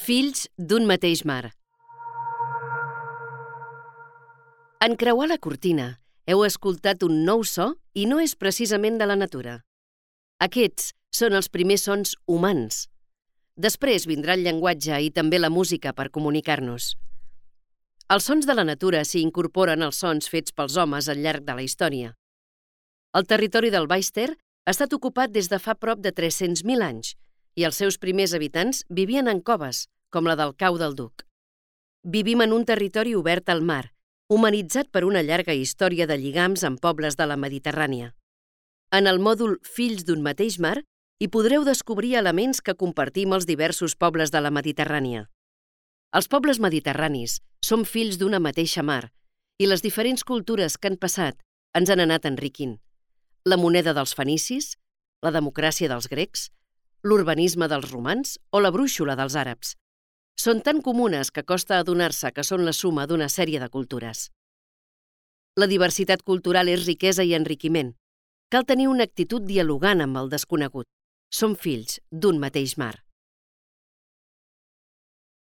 Fills d'un mateix mar. En creuar la cortina, heu escoltat un nou so i no és precisament de la natura. Aquests són els primers sons humans. Després vindrà el llenguatge i també la música per comunicar-nos. Els sons de la natura s'hi incorporen als sons fets pels homes al llarg de la història. El territori del Baix Ter ha estat ocupat des de fa prop de 300.000 anys i els seus primers habitants vivien en coves, com la del Cau del Duc. Vivim en un territori obert al mar, humanitzat per una llarga història de lligams amb pobles de la Mediterrània. En el mòdul Fills d'un mateix mar hi podreu descobrir elements que compartim els diversos pobles de la Mediterrània. Els pobles mediterranis som fills d'una mateixa mar i les diferents cultures que han passat ens han anat enriquint. La moneda dels fenicis, la democràcia dels grecs, l'urbanisme dels romans o la brúixola dels àrabs. Són tan comunes que costa adonar-se que són la suma d'una sèrie de cultures. La diversitat cultural és riquesa i enriquiment. Cal tenir una actitud dialogant amb el desconegut. Som fills d'un mateix mar.